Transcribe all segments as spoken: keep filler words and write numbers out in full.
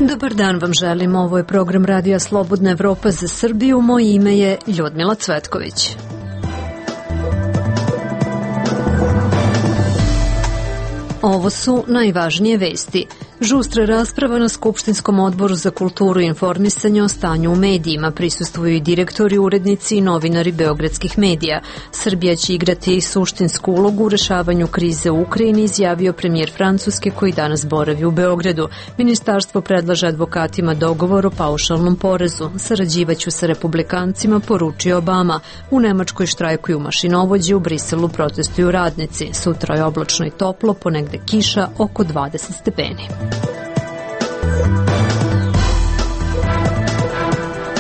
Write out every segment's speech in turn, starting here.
Dobar dan vam želim, ovo je program Radija Slobodna Evropa za Srbiju, moje ime je Ljudmila Cvetković. Ovo su najvažnije vesti. Žustra rasprava na Skupštinskom odboru za kulturu i informisanje o stanju u medijima. Prisustvuju i direktori, urednici i novinari beogradskih medija. Srbija će igrati suštinsku ulogu u rešavanju krize u Ukrajini, izjavio premijer Francuske koji danas boravi u Beogradu. Ministarstvo predlaže advokatima dogovor o paušalnom porezu. Sarađivaću sa republikancima, poručio Obama. U Nemačkoj štrajkuju mašinovođi, u Briselu protestuju radnici. Sutra je oblačno i toplo, ponegde kiša, oko dvadeset stepeni.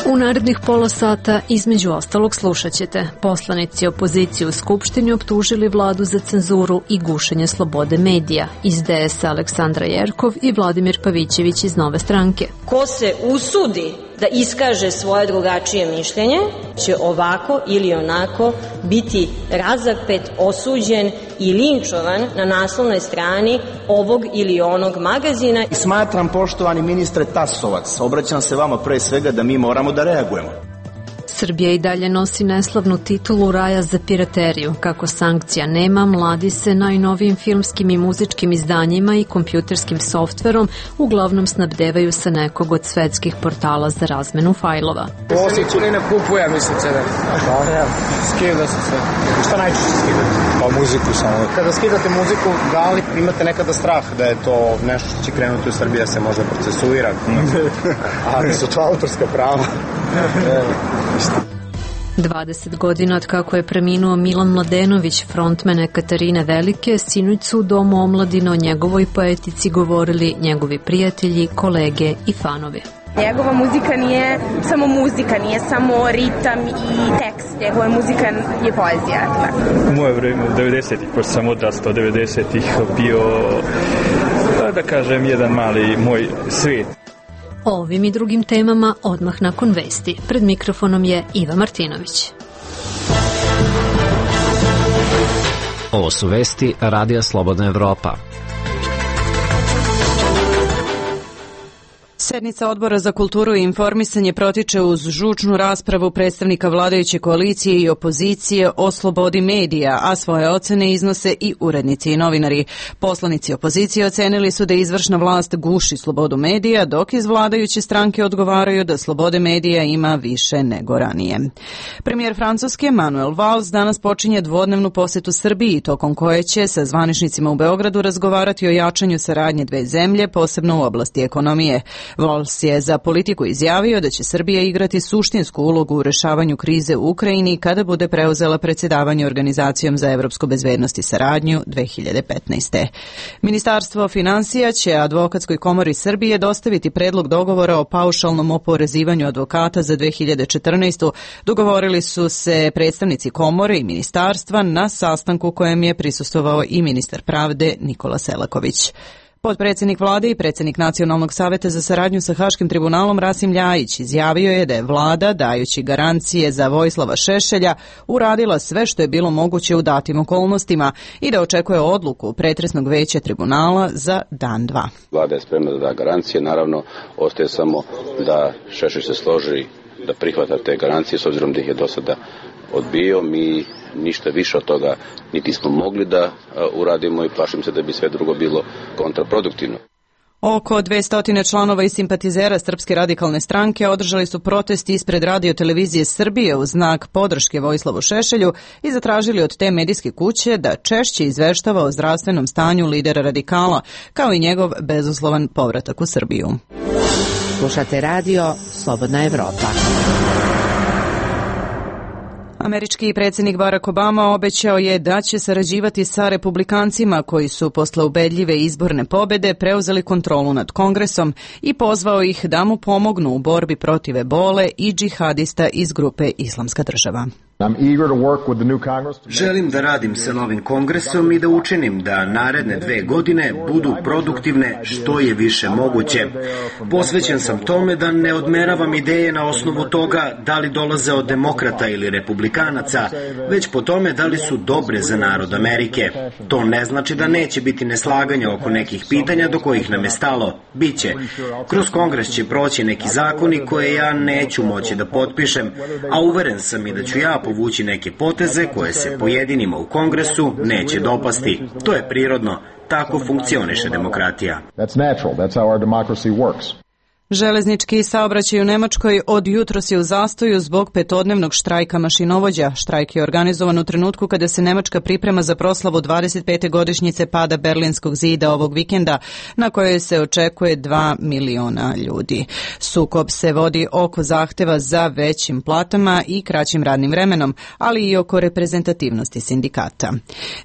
U narednih pola sata, između ostalog, slušat ćete. Poslanici opozicije u Skupštini optužili vladu za cenzuru i gušenje slobode medija. Iz D S Aleksandra Jerkov i Vladimir Pavićević iz Nove stranke. Ko se usudi da iskaže svoje drugačije mišljenje, će ovako ili onako biti razapet, osuđen i linčovan na naslovnoj strani ovog ili onog magazina. Smatram, poštovani ministre Tasovac, obraćam se vama pre svega da mi moramo da reagujemo. Srbija i dalje nosi neslavnu titulu raja za pirateriju. Kako sankcija nema, mladi se najnovijim filmskim i muzičkim izdanjima i kompjuterskim softverom uglavnom snabdevaju sa nekog od svetskih portala za razmenu fajlova. Osjeću ne kupuje, mislim, C D. Skida se sve. Šta najčešće skidate? Pa muziku samo. Kada skidate muziku, da li imate nekada strah da je to nešto što će krenuti u Srbiji da se možda procesuira? Ali su to autorska prava. dvadeset godina od kako je preminuo Milan Mladenović, frontmen Ekaterine Velike, sinoć su u Domu omladine o njegovoj poetici govorili njegovi prijatelji, kolege i fanovi. Njegova muzika nije samo muzika, nije samo ritam i tekst, njegova muzika je poezija. U moje vreme, u devedesetih, pošto sam odrastao devedesetih, bio, da kažem, jedan mali moj svijet. O ovim i drugim temama odmah nakon vesti. Pred mikrofonom je Iva Martinović. Ovo su vesti Radija Slobodna Evropa. Sednica Odbora za kulturu i informisanje protiče uz žučnu raspravu predstavnika vladajuće koalicije i opozicije o slobodi medija, a svoje ocene iznose i urednici i novinari. Poslanici opozicije ocenili su da izvršna vlast guši slobodu medija, dok iz vladajuće stranke odgovaraju da slobode medija ima više nego ranije. Premijer Francuske Manuel Valls danas počinje dvodnevnu posetu Srbiji, tokom koje će sa zvaničnicima u Beogradu razgovarati o jačanju saradnje dve zemlje, posebno u oblasti ekonomije. Valls je za Politiku izjavio da će Srbija igrati suštinsku ulogu u rešavanju krize u Ukrajini kada bude preuzela predsjedavanje Organizacijom za evropsku bezbednost i saradnju dve hiljade petnaeste. Ministarstvo finansija će Advokatskoj komori Srbije dostaviti predlog dogovora o paušalnom oporezivanju advokata za dve hiljade četrnaestu. Dogovorili su se predstavnici komore i ministarstva na sastanku kojem je prisustvovao i ministar pravde Nikola Selaković. Potpredsjednik vlade i predsjednik Nacionalnog saveta za saradnju sa Haškim tribunalom Rasim Ljajić izjavio je da je vlada, dajući garancije za Vojislava Šešelja, uradila sve što je bilo moguće u datim okolnostima i da očekuje odluku pretresnog veća tribunala za dan dva. Vlada je spremna da da garancije, naravno ostaje samo da Šešelj se složi da prihvata te garancije, s obzirom da ih je do sada odbio. Mi ništa više od toga niti smo mogli da uradimo i plašim se da bi sve drugo bilo kontraproduktivno. Oko dvesta članova i simpatizera Srpske radikalne stranke održali su protest ispred Radio televizije Srbije u znak podrške Vojislavu Šešelju i zatražili od te medijske kuće da češće izveštava o zdravstvenom stanju lidera radikala, kao i njegov bezuslovan povratak u Srbiju. Slušate radio Slobodna Evropa. Američki predsjednik Barack Obama obećao je da će sarađivati sa republikancima koji su posle ubedljive izborne pobede preuzeli kontrolu nad Kongresom i pozvao ih da mu pomognu u borbi protiv ebole i džihadista iz grupe Islamska država. Želim da radim sa novim kongresom i da učinim da naredne dve godine budu produktivne što je više moguće. Posvećen sam tome da ne odmeravam ideje na osnovu toga da li dolaze od demokrata ili republikanaca, već po tome da li su dobre za narod Amerike. To ne znači da neće biti neslaganja oko nekih pitanja do kojih nam je stalo. Biće. Kroz kongres će proći neki zakoni koje ja neću moći da potpišem, a uveren sam i da ću ja povući neke poteze koje se pojedinima u kongresu neće dopasti. To je prirodno. Tako funkcioniše demokratija. Železnički saobraćaj u Nemačkoj od jutros je u zastoju zbog petodnevnog štrajka mašinovođa. Štrajk je organizovan u trenutku kada se Nemačka priprema za proslavu dvadeset pete godišnjice pada Berlinskog zida ovog vikenda, na kojoj se očekuje dva miliona ljudi. Sukob se vodi oko zahteva za većim platama i kraćim radnim vremenom, ali i oko reprezentativnosti sindikata.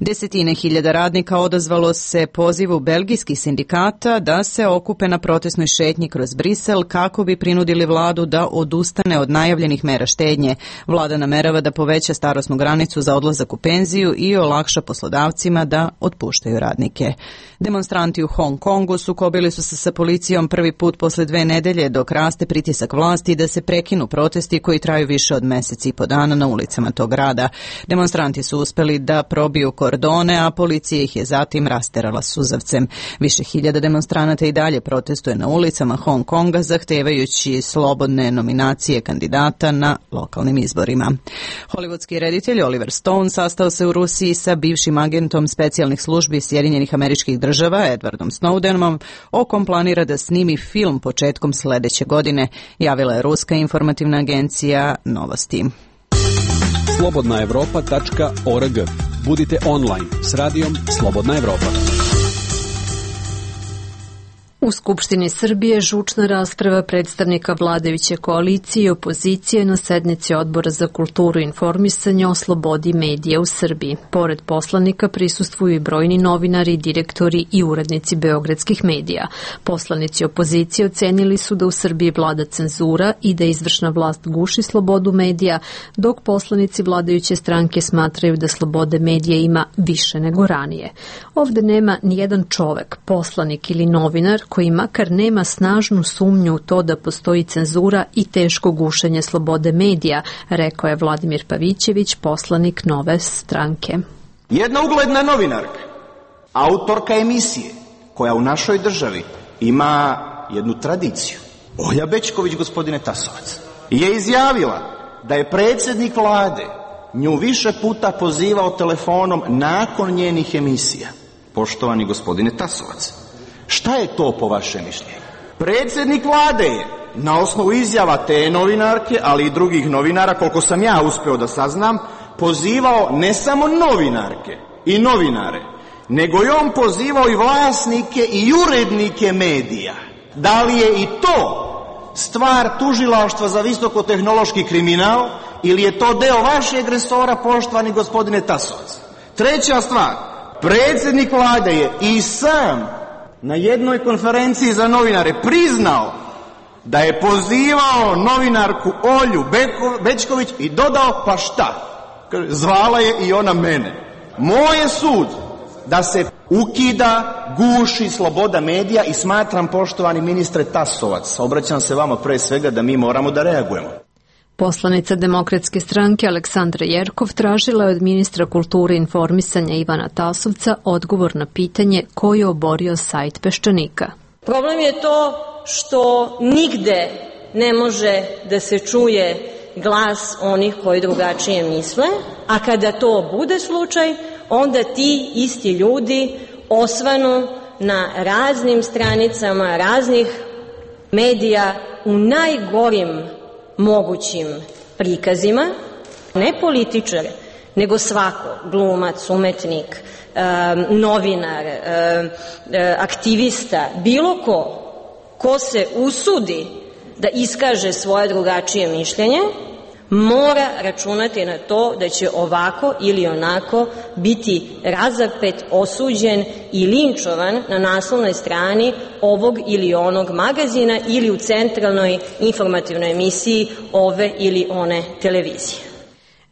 Desetine hiljada radnika odazvalo se pozivu belgijskih sindikata da se okupe na protestnoj šetnji kroz Brisel kako bi prinudili vladu da odustane od najavljenih mera štednje. Vlada namerava da poveća starosnu granicu za odlazak u penziju i olakša poslodavcima da otpuštaju radnike. Demonstranti u Hong Kongu sukobili su se sa policijom prvi put posle dve nedelje dok raste pritisak vlasti da se prekinu protesti koji traju više od mesec i po dana na ulicama tog grada. Demonstranti su uspeli da probiju kordone, a policija ih je zatim rasterala suzavcem. Više hiljada demonstranata i dalje protestuje na ulicama Hong Konga zahtevajući slobodne nominacije kandidata na lokalnim izborima. Hollywoodski reditelj Oliver Stone sastao se u Rusiji sa bivšim agentom specijalnih službi Sjedinjenih Američkih Država Edwardom Snowdenom, o kom planira da snimi film početkom sledeće godine, javila je ruska informativna agencija Novosti. slobodna evropa tačka org. Budite online s radijom Slobodna Evropa. U Skupštini Srbije žučna rasprava predstavnika vladajuće koalicije i opozicije na sednici Odbora za kulturu i informisanje o slobodi medija u Srbiji. Pored poslanika prisustvuju i brojni novinari, direktori i urednici beogradskih medija. Poslanici opozicije ocenili su da u Srbiji vlada cenzura i da izvršna vlast guši slobodu medija, dok poslanici vladajuće stranke smatraju da slobode medija ima više nego ranije. Ovde nema nijedan čovek, poslanik ili novinar koji makar nema snažnu sumnju u to da postoji cenzura i teško gušenje slobode medija, rekao je Vladimir Pavićević, poslanik Nove stranke. Jedna ugledna novinarka, autorka emisije, koja u našoj državi ima jednu tradiciju, Olja Bećković, gospodine Tasovac, je izjavila da je predsjednik vlade nju više puta pozivao telefonom nakon njenih emisija. Poštovani gospodine Tasovac, šta je to po vašem mišljenju? Predsjednik vlade je na osnovu izjava te novinarke, ali i drugih novinara, koliko sam ja uspeo da saznam, pozivao ne samo novinarke i novinare, nego je on pozivao i vlasnike i urednike medija. Da li je i to stvar tužilaštva za visokotehnološki kriminal ili je to deo vašeg resora, poštovani gospodine Tasovac? Treća stvar, predsjednik vlade je i sam na jednoj konferenciji za novinare priznao da je pozivao novinarku Olju Bećković i dodao, pa šta? Zvala je i ona mene. Moj je sud da se ukida, guši sloboda medija i smatram, poštovani ministre Tasovac, obraćam se vama pre svega, da mi moramo da reagujemo. Poslanica Demokratske stranke Aleksandra Jerkov tražila je od ministra kulture i informisanja Ivana Tasovca odgovor na pitanje ko je oborio sajt Peščanika. Problem je to što nigde ne može da se čuje glas onih koji drugačije misle, a kada to bude slučaj, onda ti isti ljudi osvanu na raznim stranicama raznih medija u najgorim mogućim prikazima, ne političar, nego svako, glumac, umetnik, novinar, aktivista, bilo ko, ko se usudi da iskaže svoje drugačije mišljenje, mora računati na to da će ovako ili onako biti razapet, osuđen i linčovan na naslovnoj strani ovog ili onog magazina ili u centralnoj informativnoj emisiji ove ili one televizije.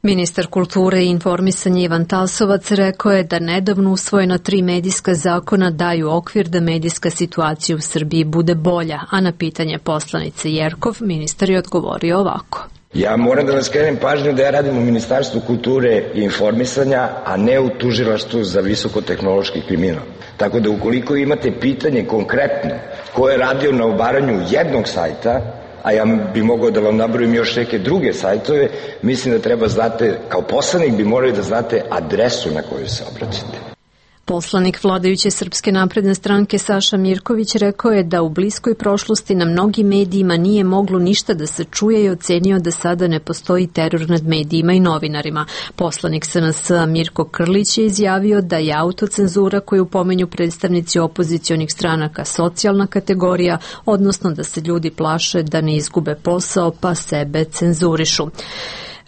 Ministar kulture i informisanja Ivan Tasovac rekao je da nedavno usvojena tri medijska zakona daju okvir da medijska situacija u Srbiji bude bolja, a na pitanje poslanice Jerkov ministar je odgovorio ovako. Ja moram da vam skrenem pažnju da ja radim u Ministarstvu kulture i informisanja, a ne u Tužilaštvu za visokotehnološki kriminal. Tako da ukoliko imate pitanje konkretno ko je radio na obaranju jednog sajta, a ja bi mogao da vam nabrojim još neke druge sajtove, mislim da treba znate, kao poslanik bi morali da znate adresu na koju se obraćate. Poslanik vladajuće Srpske napredne stranke Saša Mirković rekao je da u bliskoj prošlosti na mnogim medijima nije moglo ništa da se čuje i ocenio da sada ne postoji teror nad medijima i novinarima. Poslanik S N S Mirko Krlić je izjavio da je autocenzura koju pomenju predstavnici opozicionih stranaka socijalna kategorija, odnosno da se ljudi plaše da ne izgube posao pa sebe cenzurišu.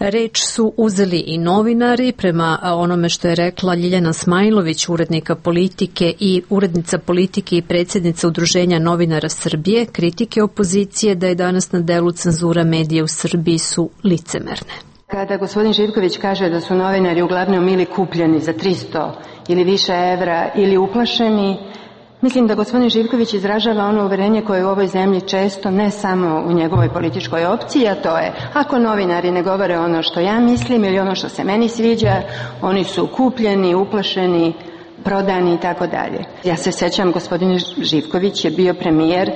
Reč su uzeli i novinari, prema onome što je rekla Ljiljana Smajlović, urednika politike i urednica politike i predsjednica Udruženja novinara Srbije. Kritike opozicije da je danas na delu cenzura medija u Srbiji su licemerne. Kada gospodin Živković kaže da su novinari uglavnom ili kupljeni za tristo ili više evra ili uplašeni, mislim da gospodin Živković izražava ono uverenje koje je u ovoj zemlji često, ne samo u njegovoj političkoj opciji, a to je ako novinari ne govore ono što ja mislim ili ono što se meni sviđa, oni su kupljeni, uplašeni, prodani i tako dalje. Ja se sjećam, gospodin Živković je bio premijer,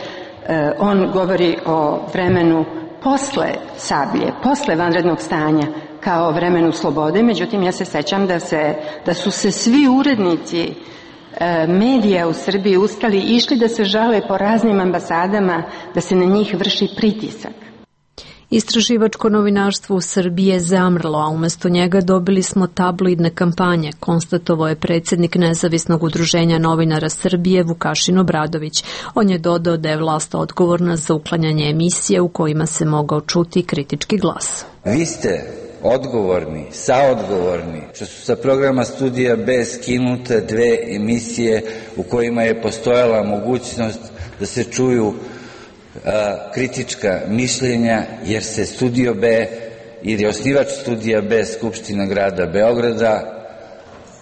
on govori o vremenu posle Sablje, posle vanrednog stanja kao vremenu slobode, međutim ja se sjećam da, se, da su se svi urednici medija u Srbiji ustali i išli da se žale po raznim ambasadama da se na njih vrši pritisak. Istraživačko novinarstvo u Srbiji je zamrlo, a umjesto njega dobili smo tabloidne kampanje, konstatovao je predsjednik Nezavisnog udruženja novinara Srbije Vukašin Obradović. On je dodao da je vlast odgovorna za uklanjanje emisije u kojima se mogao čuti kritički glas. Vi ste odgovorni, saodgovorni, što su sa programa Studija B skinute dve emisije u kojima je postojala mogućnost da se čuju a, kritička mišljenja, jer se Studio B ili osnivač Studija B Skupština grada Beograda,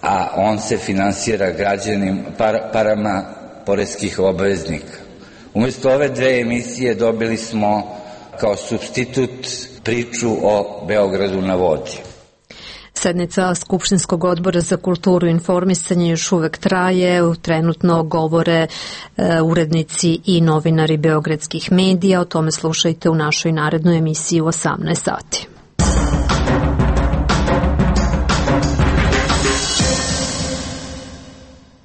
a on se finansira građanim par, parama poreskih obveznika. Umjesto ove dve emisije dobili smo kao supstitut priču o Beogradu na vodi. Sednica Skupštinskog odbora za kulturu i informisanje još uvek traje. Trenutno govore e, urednici i novinari beogradskih medija. O tome slušajte u našoj narednoj emisiji u osamnaest sati.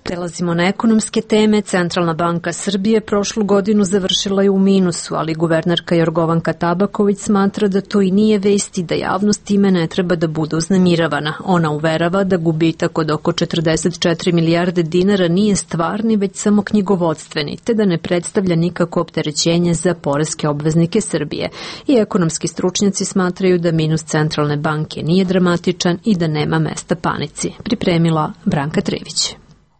Prelazimo na ekonomske teme. Centralna banka Srbije prošlu godinu završila je u minusu, ali guvernerka Jorgovanka Tabaković smatra da to i nije vest i da javnost time ne treba da bude uznemiravana. Ona uverava da gubitak od oko četrdeset četiri milijarde dinara nije stvarni, već samo knjigovodstveni, te da ne predstavlja nikako opterećenje za poreske obveznike Srbije. I ekonomski stručnjaci smatraju da minus Centralne banke nije dramatičan i da nema mesta panici. Pripremila Branka Trević.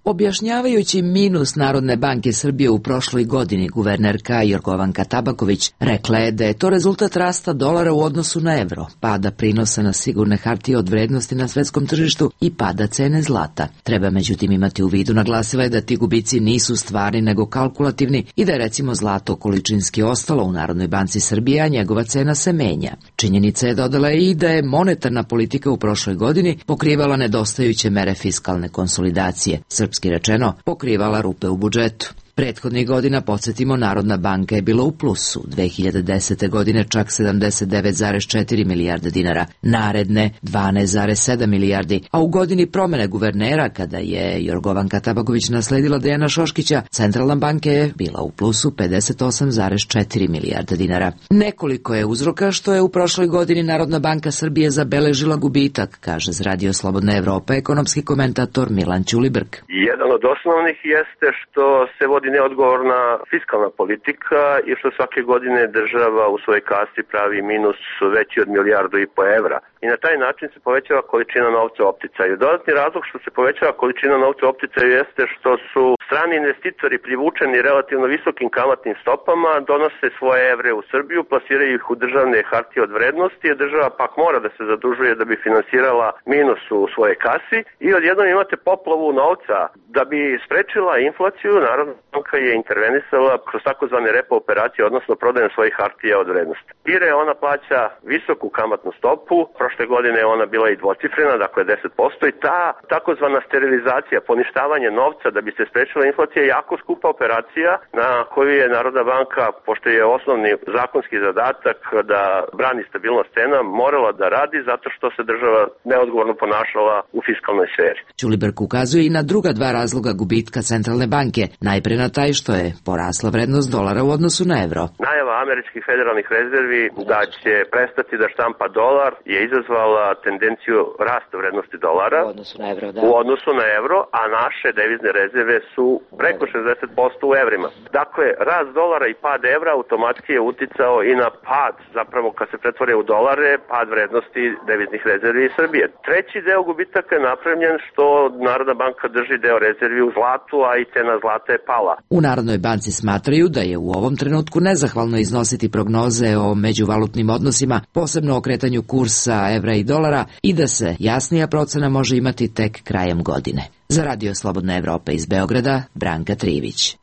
Objašnjavajući minus Narodne banke Srbije u prošloj godini, guvernerka Jorgovanka Tabaković rekla je da je to rezultat rasta dolara u odnosu na evro, pada prinosa na sigurne hartije od vrednosti na svetskom tržištu i pada cene zlata. Treba međutim imati u vidu, naglasila je da ti gubici nisu stvarni nego kalkulativni i da je recimo zlato količinski ostalo u Narodnoj banci Srbije, a njegova cena se menja. Činjenica je, dodala i da je monetarna politika u prošloj godini pokrivala nedostajuće mere fiskalne konsolidacije. Srpski rečeno, pokrivala rupe u budžetu. Prethodnih godina, podsjetimo, Narodna banka je bila u plusu, dve hiljade desete godine čak sedamdeset devet zarez četiri milijarde dinara, naredne dvanaest zarez sedam milijardi, a u godini promene guvernera, kada je Jorgovanka Tabaković nasledila Dejana Šoškića, Centralna banka je bila u plusu pedeset osam zarez četiri milijarde dinara. Nekoliko je uzroka što je u prošloj godini Narodna banka Srbije zabeležila gubitak, kaže za Radio Slobodna Evropa ekonomski komentator Milan Ćulibrk. Jedan od osnovnih jeste što se vodi neodgovorna fiskalna politika i što svake godine država u svojoj kasi pravi minus veći od milijardu i po evra. i na taj način se povećava količina novca u opticaju. Dodatni razlog što se povećava količina novca u opticaju jeste što su strani investitori privučeni relativno visokim kamatnim stopama, donose svoje evre u Srbiju, plasiraju ih u državne hartije od vrednosti, a država pak mora da se zadužuje da bi finansirala minus u svoje kasi i odjednom imate poplavu novca. Da bi sprečila inflaciju, Narodna banka je intervenisala kroz takozvane repo operacije, odnosno prodajom svojih hartija od vrednosti. Pire ona plaća visoku kamatnu stopu, prošle godine je ona bila i dvocifrena, dakle deset posto, i ta takozvana sterilizacija, poništavanje novca da bi se sprečila inflacija je jako skupa operacija na koju je Narodna banka, pošto je osnovni zakonski zadatak da brani stabilnost cena, morala da radi zato što se država neodgovorno ponašala u fiskalnoj sferi. Ćuliberg ukazuje i na druga dva razloga gubitka centralne banke, najpre na taj što je porasla vrednost dolara u odnosu na evro. Najava američkih federalnih rezervi da će prestati da štampa dolar je izazvala tendenciju rasta vrednosti dolara u odnosu na evro, da. u odnosu na evro, a naše devizne rezerve su preko šezdeset posto u evrima. Dakle, rast dolara i pad evra automatski je uticao i na pad, zapravo kad se pretvore u dolare, pad vrednosti deviznih rezervi iz Srbije. Treći deo gubitaka je napravljen što Narodna banka drži deo rezervi u zlatu, a i cena zlata je pala. U Narodnoj banci smatraju da je u ovom trenutku nezahvalno iznositi prognoze o međuvalutnim odnosima, posebno o kretanju kursa evra i dolara, i da se jasnija procena može imati tek krajem godine. Za Radio Slobodna Evropa iz Beograda, Branka Trivić.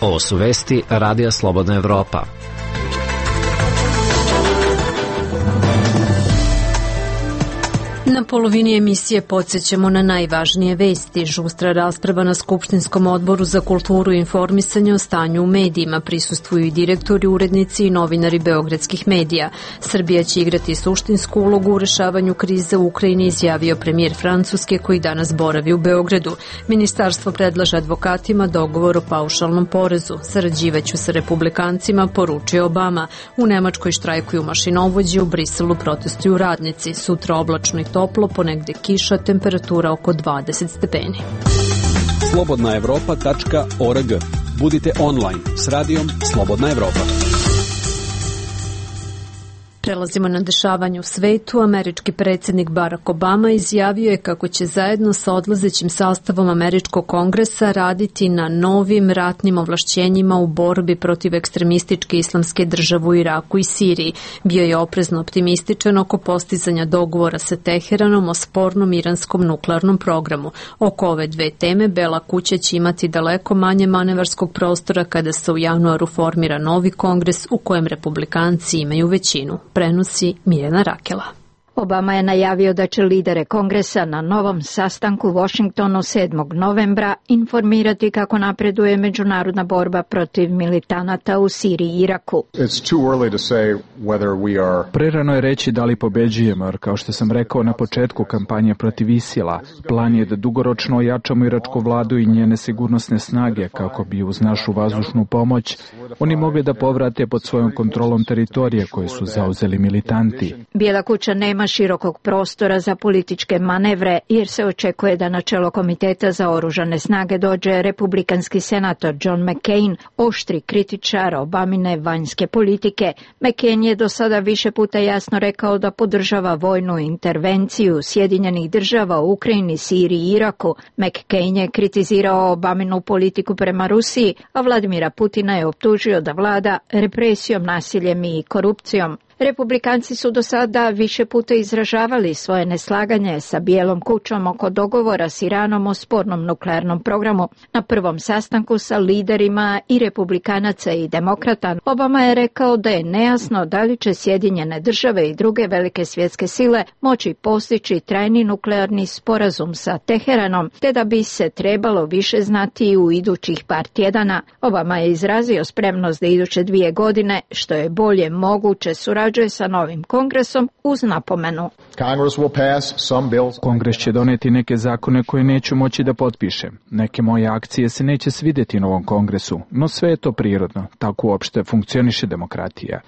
Ovo su vesti Radija Slobodna Evropa. Na polovini emisije podsjećamo na najvažnije vesti. Žustra rasprava na Skupštinskom odboru za kulturu i informisanje o stanju u medijima. Prisustvuju i direktori, urednici i novinari beogradskih medija. Srbija će igrati suštinsku ulogu u rešavanju krize u Ukrajini, izjavio premijer Francuske koji danas boravi u Beogradu. Ministarstvo predlaže advokatima dogovor o paušalnom porezu. Sarađivaću sa republikancima, poručio Obama. U Nemačkoj štrajkuju mašinovođi, u Briselu protestuju radnici. Sutra oblačno i toplo, ponegde kiša, temperatura oko dvadeset stepeni. slobodna evropa tačka org. Budite online s radijom Slobodna Evropa. Prelazimo na dešavanje u svetu. Američki predsjednik Barack Obama izjavio je kako će zajedno sa odlazećim sastavom Američkog kongresa raditi na novim ratnim ovlašćenjima u borbi protiv ekstremističke islamske države u Iraku i Siriji. Bio je oprezno optimističan oko postizanja dogovora sa Teheranom o spornom iranskom nuklearnom programu. Oko ove dve teme Bela kuća će imati daleko manje manevarskog prostora kada se u januaru formira novi kongres u kojem republikanci imaju većinu. Prenosi Mirjana Rakela. Obama je najavio da će lidere kongresa na novom sastanku u Washingtonu sedmog novembra informirati kako napreduje međunarodna borba protiv militanata u Siriji i Iraku. Prerano je reći da li pobeđujemo, jer kao što sam rekao na početku kampanje protiv Isila, plan je da dugoročno ojačamo iračku vladu i njene sigurnosne snage kako bi uz našu vazdušnu pomoć oni mogli da povrate pod svojom kontrolom teritorije koje su zauzeli militanti. Bijela kuća nema širokog prostora za političke manevre jer se očekuje da na čelo Komiteta za oružane snage dođe republikanski senator John McCain, oštri kritičar Obamine vanjske politike. McCain je do sada više puta jasno rekao da podržava vojnu intervenciju Sjedinjenih država u Ukrajini, Siriji i Iraku. McCain je kritizirao Obaminu politiku prema Rusiji, a Vladimira Putina je optužio da vlada represijom, nasiljem i korupcijom. Republikanci su do sada više puta izražavali svoje neslaganje sa Bijelom kućom oko dogovora s Iranom o spornom nuklearnom programu. Na prvom sastanku sa liderima i republikanaca i demokrata Obama je rekao da je nejasno da li će Sjedinjene države i druge velike svjetske sile moći postići trajni nuklearni sporazum sa Teheranom, te da bi se trebalo više znati u idućih par tjedana. Obama je izrazio spremnost da iduće dvije godine, što je bolje moguće, surađuje sa novim kongresom uz napomenu. Kongres će doneti neke zakone koje neću moći da potpišem. Neke moje akcije se neće svidjeti novom kongresu, no sve je to prirodno. Tako uopšte funkcioniše demokratija.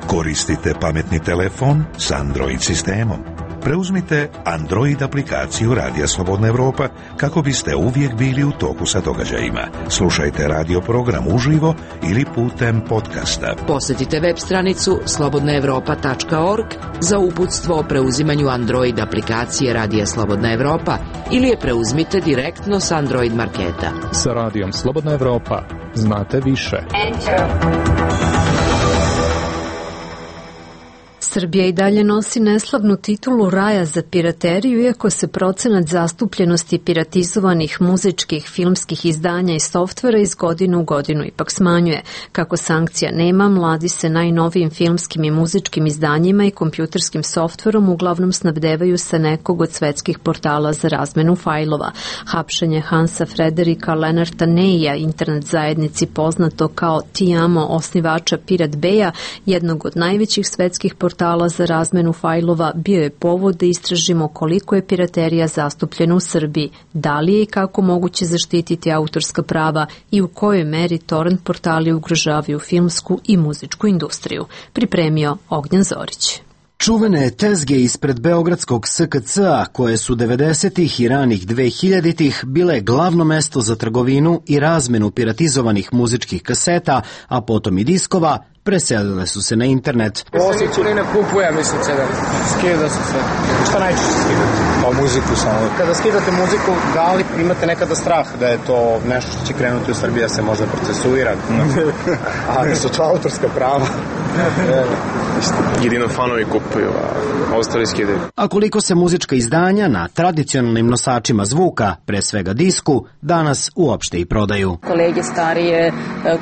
Koristite pametni telefon s Android sistemom. preuzmite Android aplikaciju Radija Slobodna Evropa kako biste uvijek bili u toku sa događajima. Slušajte radio program uživo ili putem podcasta. Posjetite web stranicu slobodna evropa tačka org za uputstvo o preuzimanju Android aplikacije Radija Slobodna Evropa ili je preuzmite direktno s Android marketa. Sa Radijom Slobodna Evropa znate više. Srbija i dalje nosi neslavnu titulu raja za pirateriju, iako se procenat zastupljenosti piratizovanih muzičkih, filmskih izdanja i softvera iz godine u godinu ipak smanjuje. Kako sankcija nema, mladi se najnovijim filmskim i muzičkim izdanjima i kompjuterskim softverom uglavnom snabdevaju sa nekog od svetskih portala za razmenu fajlova. Hapšenje Hansa Frederika Lenarta Neija, internet zajednici poznato kao Tiamo, osnivača Pirat Beja, jednog od najvećih svetskih portala za razmenu fajlova, bio je povod da istražimo koliko je piraterija zastupljena u Srbiji, da li je i kako moguće zaštititi autorska prava i u kojoj meri torrent portali ugrožavaju filmsku i muzičku industriju. Pripremio Ognjen Zorić. Čuvene tezge ispred beogradskog S K C-a, koje su devedesetih i ranih dvehiljaditih bile glavno mesto za trgovinu i razmenu piratizovanih muzičkih kaseta, a potom i diskova, preselile su se na internet. Osjeću li ne kupujem, mislim, C D. Skida se sve. Šta najčešće skidate? Pa muziku samo. Kada skidate muziku, da li imate nekada strah da je to nešto što će krenuti u Srbiji, da se možda procesuira? A da su to autorska prava? Jedino fanovi kupuju, a ostali skidaju. A koliko se muzička izdanja na tradicionalnim nosačima zvuka, pre svega disku, danas uopšte i prodaju. Kolege starije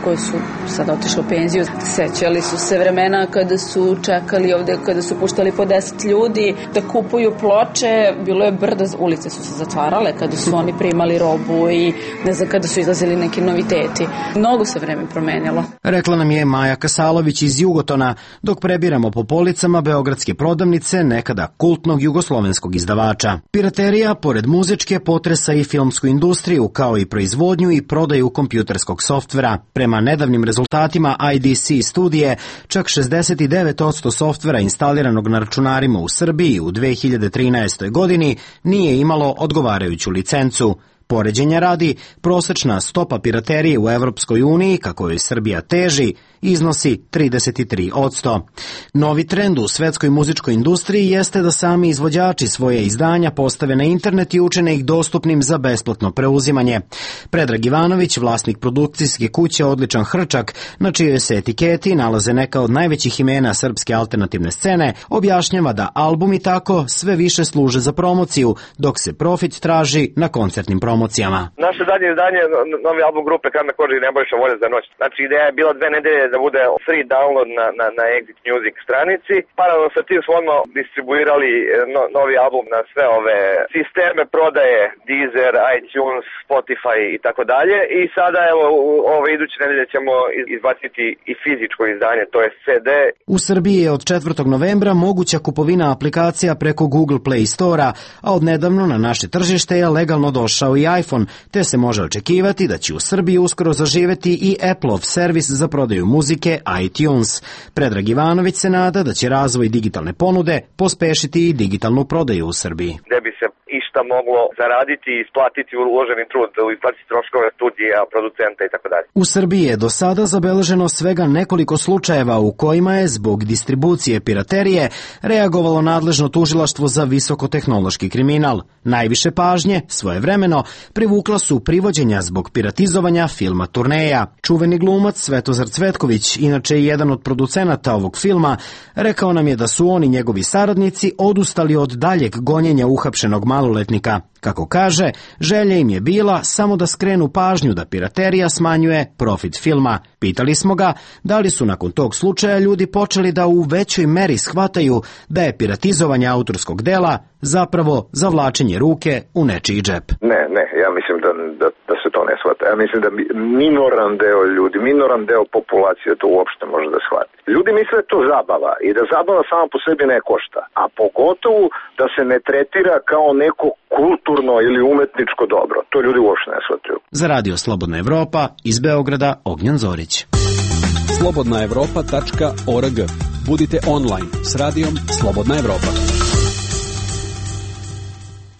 koji su sad otišli u penziju, sećali su se vremena kada su čekali ovde, kada su puštali po deset ljudi da kupuju ploče, bilo je brdo, ulice su se zatvarale kada su oni primali robu i ne znam, kada su izlazili neki noviteti. Mnogo se vreme promenjalo. Rekla nam je Maja Kasalović iz Jugotona, dok prebiramo po policama beogradske prodavnice nekada kultnog jugoslovenskog izdavača. Piraterija, pored muzičke, potresa i filmsku industriju, kao i proizvodnju i prodaju kompjuterskog softvera. Prema nedavnim rezultatima I D C studije, čak šezdeset devet posto softvera instaliranog na računarima u Srbiji u dve hiljade trinaestoj godini nije imalo odgovarajuću licencu. Poređenja radi, prosečna stopa piraterije u Evropskoj uniji, kako joj Srbija teži, iznosi trideset tri posto. Novi trend u svetskoj muzičkoj industriji jeste da sami izvođači svoje izdanja postave na internet i učine ih dostupnim za besplatno preuzimanje. Predrag Ivanović, vlasnik produkcijske kuće Odličan Hrčak, na čijoj se etiketi nalaze neka od najvećih imena srpske alternativne scene, objašnjava da albumi tako sve više služe za promociju, dok se profit traži na koncertnim promocijama. Naše zadnje izdanje, novi album grupe Karna koža i Nebojša volje za noć. Znači, ideja je bila dve nedelje da bude free download na, na, na Exit Music stranici. Paralelno sa tim smo odmah distribuirali no, novi album na sve ove sisteme prodaje, Deezer, iTunes, Spotify i tako dalje. I sada, evo, ove iduće nedelje ćemo izbaciti i fizičko izdanje, to je C D. U Srbiji je od četvrtog novembra moguća kupovina aplikacija preko Google Play Store-a, a odnedavno na naše tržište je legalno došao i iPhone, te se može očekivati da će u Srbiji uskoro zaživeti i Apple-ov servis za prodaju muzike iTunes. Predrag Ivanović se nada da će razvoj digitalne ponude pospešiti i digitalnu prodaju u Srbiji. Gde bi se išta moglo zaraditi i isplatiti uloženi trud, isplatiti troškove studija, producenta i tako dalje. U Srbiji je do sada zabeleženo svega nekoliko slučajeva u kojima je zbog distribucije piraterije reagovalo nadležno tužilaštvo za visokotehnološki kriminal. Najviše pažnje, svojevremeno, privukla su privođenja zbog piratizovanja filma Turneja. Čuveni glumac Svetozar Cvetković, inače jedan od producenata ovog filma, rekao nam je da su oni njegovi saradnici odustali od daljeg gonjenja uhapšenog maloletnika. Kako kaže, želja im je bila samo da skrenu pažnju da piraterija smanjuje profit filma. Pitali smo ga da li su nakon tog slučaja ljudi počeli da u većoj meri shvataju da je piratizovanje autorskog dela zapravo zavlačenje ruke u nečiji džep. Ne, ne, ja mislim da, da, da se to ne shvata. Ja mislim da minoran deo ljudi, minoran deo populacije to uopšte može da shvati. Ljudi misle da je to zabava i da zabava sama po sebi ne košta, a pogotovo da se ne tretira kao neko kulturno ili umetničko dobro. To ljudi uopšte ne shvataju. Za Radio Slobodna Evropa iz Beograda Ognjan Zorić. slobodna evropa tačka org. Budite online s radijom Slobodna Evropa.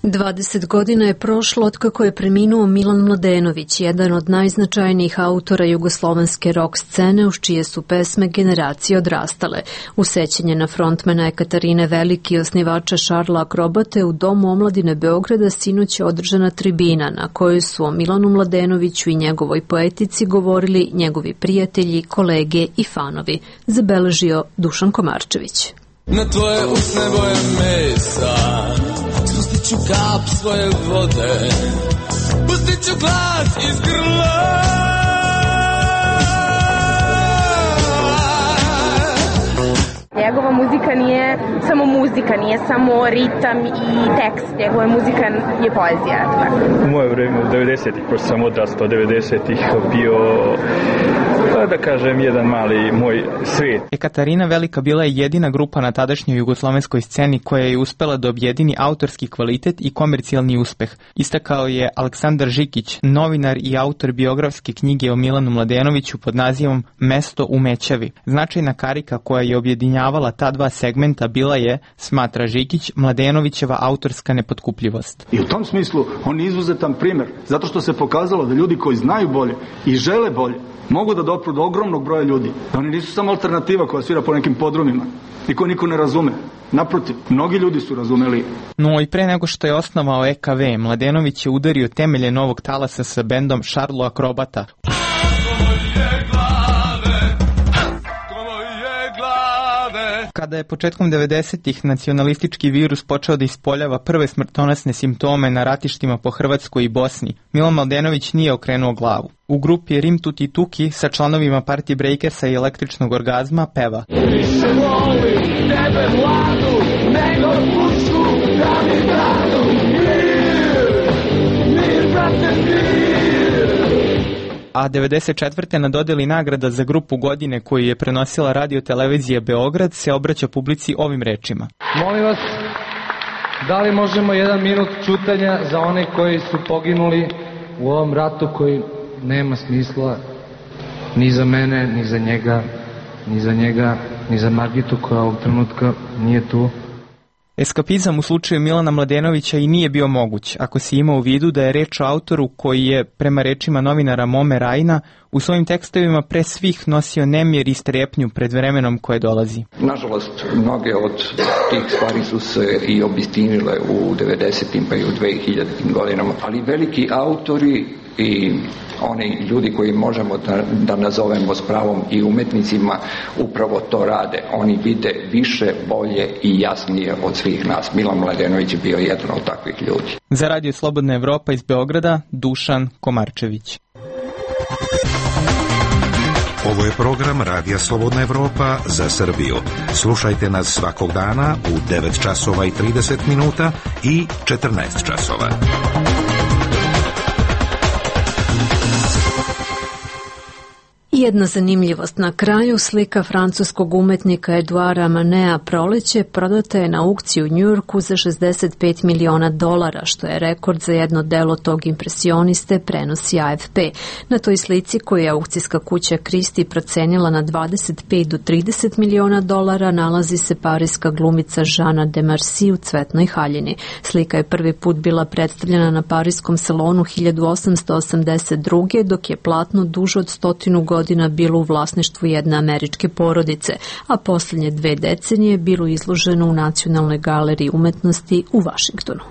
dvadeset godina je prošlo otkako je preminuo Milan Mladenović, jedan od najznačajnijih autora jugoslovenske rock scene uz čije su pesme generacije odrastale. U sećanje na frontmana Ekaterine Veliki i osnivača Šarla Akrobate u Domu omladine Beograda sinoć je održana tribina na kojoj su o Milanu Mladenoviću i njegovoj poetici govorili njegovi prijatelji, kolege i fanovi, zabeležio Dušan Komarčević. Na tvoje usne boje mesa spustit ću kap svoje vode, pustit ću glas iz grla. Njegova muzika nije samo muzika, nije samo ritam i tekst. Njegova muzika je poezija. U moje vreme, u devedesetih, pošto sam odrastao devedesetih, bio, da kažem, jedan mali moj svijet. Ekaterina Velika bila je jedina grupa na tadašnjoj jugoslovenskoj sceni koja je uspela da objedini autorski kvalitet i komercijalni uspeh. Istakao je Aleksandar Žikić, novinar i autor biografske knjige o Milanu Mladenoviću pod nazivom Mesto u Mećavi. Značajna karika koja je objedinjavala ta dva segmenta bila je, smatra Žikić, Mladenovićeva autorska nepotkupljivost. I u tom smislu on je izuzetan primer, zato što se pokazalo da ljudi koji znaju bolje i žele bolje mogu da dopru do ogromnog broja ljudi. Da oni nisu samo alternativa koja svira po nekim podrumima i koju niko ne razume. Naprotiv, mnogi ljudi su razumeli. No i pre nego što je osnovao E K V, Mladenović je udario temelje novog talasa sa bendom Šarlo Akrobata. Kada je početkom devedesetih nacionalistički virus počeo da ispoljava prve smrtonosne simptome na ratištima po Hrvatskoj i Bosni, Milan Mladenović nije okrenuo glavu. U grupi Rim Tuti Tuki sa članovima Party Breakersa i Električnog orgazma peva: Više volim tebe mladu, nego pušku da mi dadu. Mir, mir, brate, mir. A devedeset četvrte na dodeli nagrada za grupu godine koju je prenosila Radio Televizija Beograd se obraća publici ovim rečima. Molim vas, da li možemo jedan minut ćutanja za one koji su poginuli u ovom ratu koji nema smisla ni za mene, ni za njega, ni za njega, ni za Margitu koja ovog trenutka nije tu. Eskapizam u slučaju Milana Mladenovića i nije bio moguć, ako se ima u vidu da je reč o autoru koji je, prema rečima novinara Mome Rajna, u svojim tekstovima pre svih nosio nemir i strepnju pred vremenom koje dolazi. Nažalost, mnoge od tih stvari su se i obistinile u devedesetim pa i u dve hiljadite godinama, ali veliki autori i oni ljudi koji možemo da, da nazovemo s pravom i umetnicima upravo to rade. Oni vide više, bolje i jasnije od svih nas. Milan Mladenović je bio jedan od takvih ljudi. Za Radio Slobodna Evropa iz Beograda, Dušan Komarčević. Ovo je program Radija Slobodna Evropa za Srbiju. Slušajte nas svakog dana u devet časova i trideset minuta i četrnaest časova. Jedna zanimljivost na kraju, slika francuskog umetnika Eduara Manea Proleće prodata je na aukciji u Njujorku za šezdeset pet miliona dolara, što je rekord za jedno delo tog impresioniste, prenosi A F P. Na toj slici koju je aukcijska kuća Christie procenila na dvadeset pet do trideset miliona dolara nalazi se parijska glumica Žana de Marci u cvetnoj haljini. Slika je prvi put bila predstavljena na parijskom salonu hiljadu osamsto osamdeset druge. dok je platno duže od stotinu godina bilo u vlasništvu jedne američke porodice, a posljednje dve decenije bilo izloženo u Nacionalnoj galeriji umetnosti u Vašingtonu.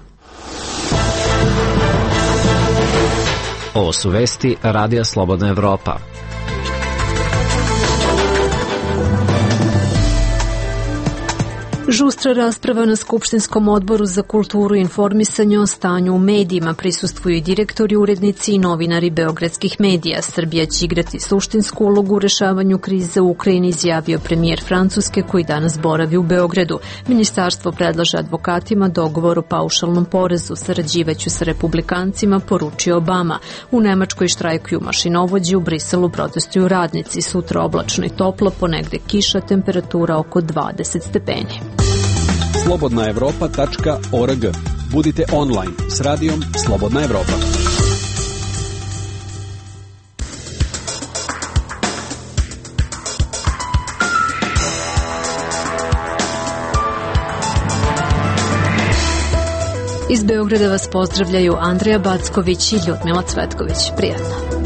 Ovo su vesti Radija Slobodna Evropa. Žustra rasprava na Skupštinskom odboru za kulturu i informisanje o stanju u medijima. Prisustvuju i direktori, urednici i novinari beogradskih medija. Srbija će igrati suštinsku ulogu u rešavanju krize u Ukrajini, izjavio premijer Francuske koji danas boravi u Beogradu. Ministarstvo predlaže advokatima dogovor o paušalnom porezu. Sarađivaću sa republikancima, poručio Obama. U Nemačkoj štrajkuju mašinovođi, u Briselu protestuju radnici. Sutra oblačno i toplo, ponegde kiša, temperatura oko dvadeset stepeni. slobodna evropa tačka org. Budite online s radijom Slobodna Evropa. Iz Beograda vas pozdravljaju Andreja Backović i Ljudmila Cvetković. Prijatno.